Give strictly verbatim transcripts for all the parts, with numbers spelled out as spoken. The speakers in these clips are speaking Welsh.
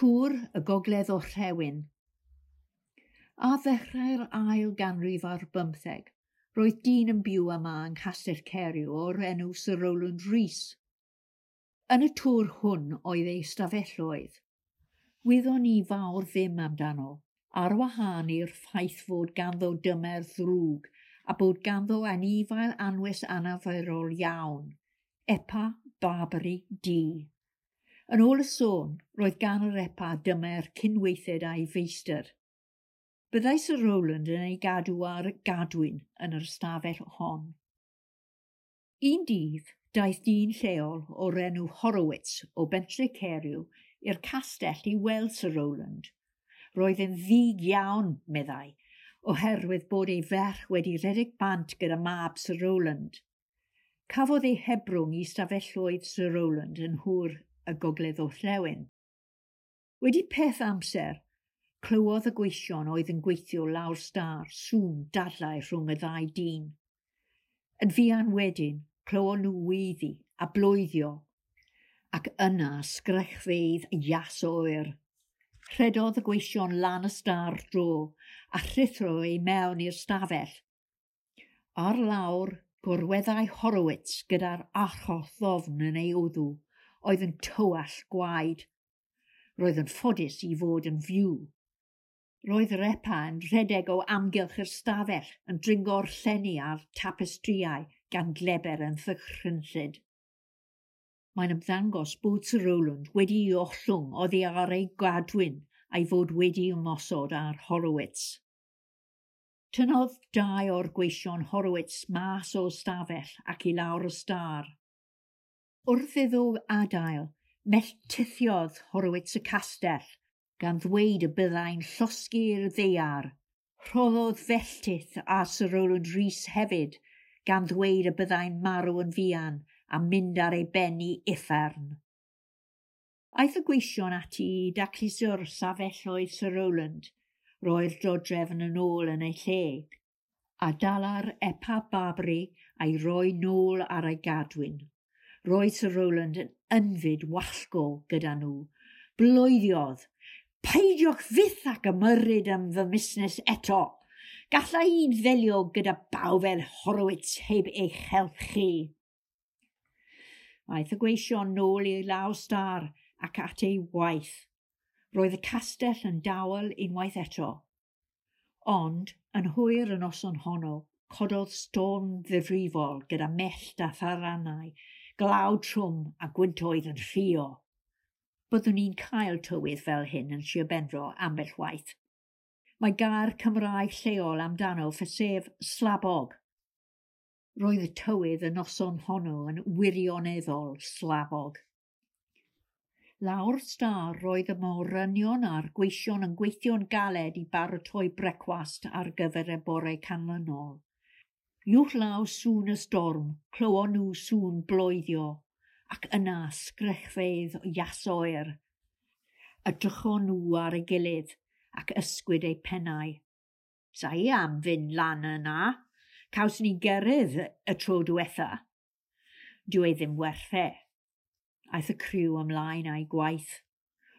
Tŵr y Gogledd Orllewin. Ar ddechrau'r ail ganrif ar bymtheg, roedd dyn yn byw yma yng Nghastell Caeriw o'r enw Sir Rowland Rees. Yn y tŵr hwn oedd ei stafelloedd. Wyddon ni fawr ddim amdano, ar wahân i'r ffaith fod ganddo dymer ddrwg a bod ganddo anifail anwes anarferol iawn, Epa Barbary Du. Yn ôl y sôn, roedd gan yr epa dymer cynweithed a'i feistr. Byddai Sir Rowland yn ei gadw ar gadwyn yn yr ystafell hon. Un dydd, daeth dyn lleol o'r enw Horowitz o Bentre Caeriw i'r castell i weld Sir Rowland. Roedd yn ddig iawn, meddai, oherwydd bod ei ferch wedi rhedeg bant gyda mab Sir Rowland. Cafodd ei hebrwng i stafelloedd Sir Rowland yn nhŵr y Gogledd Orllewin. Wedi peth amser, clywodd y gweision oedd yn gweithio lawr stâr sŵn dadlau rhwng y ddau dyn. Yn fuan wedyn, clywon nhw weiddi a bloeddio, ac yna sgrechfeydd ias oer. Rhedodd y gweision lan y stâr dro a rhuthro i mewn i'r stafell. Ar lawr, gorweddai Horowitz gyda'r archoll ddofn yn ei wddw, oedd yn tywallt gwaed. Roedd yn ffodus i fod yn fyw. Roedd yr epa yn rhedeg o amgylch yr stafell yn dringo'r llenni a'r tapestrïau gan gleber yn ddychrynllyd. Mae'n ymddangos bod Sir Rowland wedi'i ollwng oddi ar ei gadwyn a'i fod wedi ymosod ar Horowitz. Tynnodd dau o'r gweision Horowitz mas o'r stafell ac i lawr y stâr. Wrth iddo adael, melltithiodd Horowitz y castell, gan ddweud y byddai'n llosgi'r ddaear. Rhoddodd felltith ar Sir Rowland Rees hefyd, gan ddweud y byddai'n marw yn fuan a mynd ar ei ben i uffern. Aeth y gweision ati i dacluso'r stafelloedd Sir Rowland, roi'r dodrefn yn ôl yn ei lle, a dala'r epa Barbary a'i roi nôl ar ei gadwyn. Roedd Sir Rowland yn ynfyd wallgo gyda nhw. Bloeddiodd, peidiwch fyth ac ymyrryd am fy musnes eto. Galla i ddelio gyda baw fel Horowitz heb eich help chi. Aeth y gweision nôl i lawr stâr ac at ei waith. Roedd y castell yn dawel unwaith eto. Ond, yn hwyr y noson honno, cododd storm ddifrifol gyda mellt a tharanau, glaw trwm a gwyntoedd yn rhuo. Byddwn ni'n cael tywydd fel hyn yn Sir Benfro ambell waith. Mae gair Cymraeg lleol amdano sef slabog. Roedd y tywydd y noson honno yn wirioneddol slabog. Lawr stâr roedd y morynion a'r gweision yn gweithio'n galed i baratoi brecwast ar gyfer y bore canlynol. Uwchlaw sŵn y storm, clywon nhw sŵn bloeddio, ac yna sgrechfeydd ias oer. Edrychon nhw ar ei gilydd ac ysgwyd eu pennau. Sa i am fynd lan yna. Cawson ni gerydd y tro diwetha. Dyw e ddim werth e. Aeth y criw ymlaen â'i gwaith.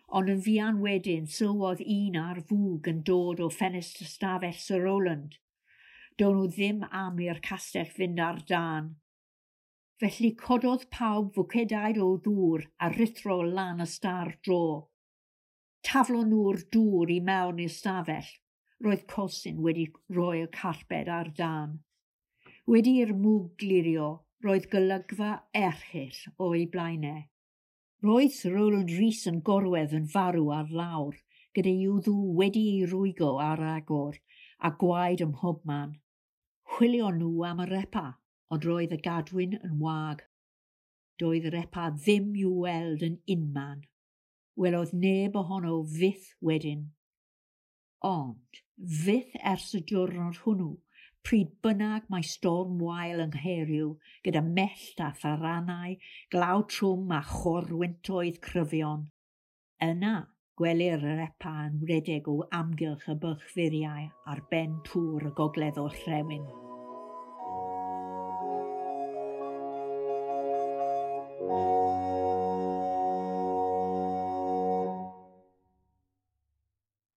Ond yn fuan wedyn sylwodd un ar fwg yn dod o ffenestr stafell Sir Rowland. Do'n nhw ddim am i'r castell fynd ar dân. Felly cododd pawb fwcedaid o ddŵr a rhuthro lan y stâr dro. Taflon nhw'r dŵr i mewn i'r stafell. Roedd colsyn wedi rhoi'r carped ar dân. Wedi i'r mwg glirio, roedd golygfa erchyll o'i blaenau. Roedd Sir Rowland Rees yn gorwedd yn farw ar lawr, gyda'i wddw wedi ei rwygo ar agor a gwaed ym mhobman. Chwilion nhw am yr epa, ond roedd y gadwyn yn wag. Doedd yr epa ddim i'w weld yn unman. Welodd neb ohono fyth wedyn. Ond, fyth ers y diwrnod hwnnw, pryd bynnag mae storm wael yng Nghaeriw, gyda mellt a tharanau, glaw trwm a chorwyntoedd cryfion. Yna, gwelir yr epa yn rhedeg o amgylch y byrchfuriau ar ben tŵr y Gogledd Orllewin.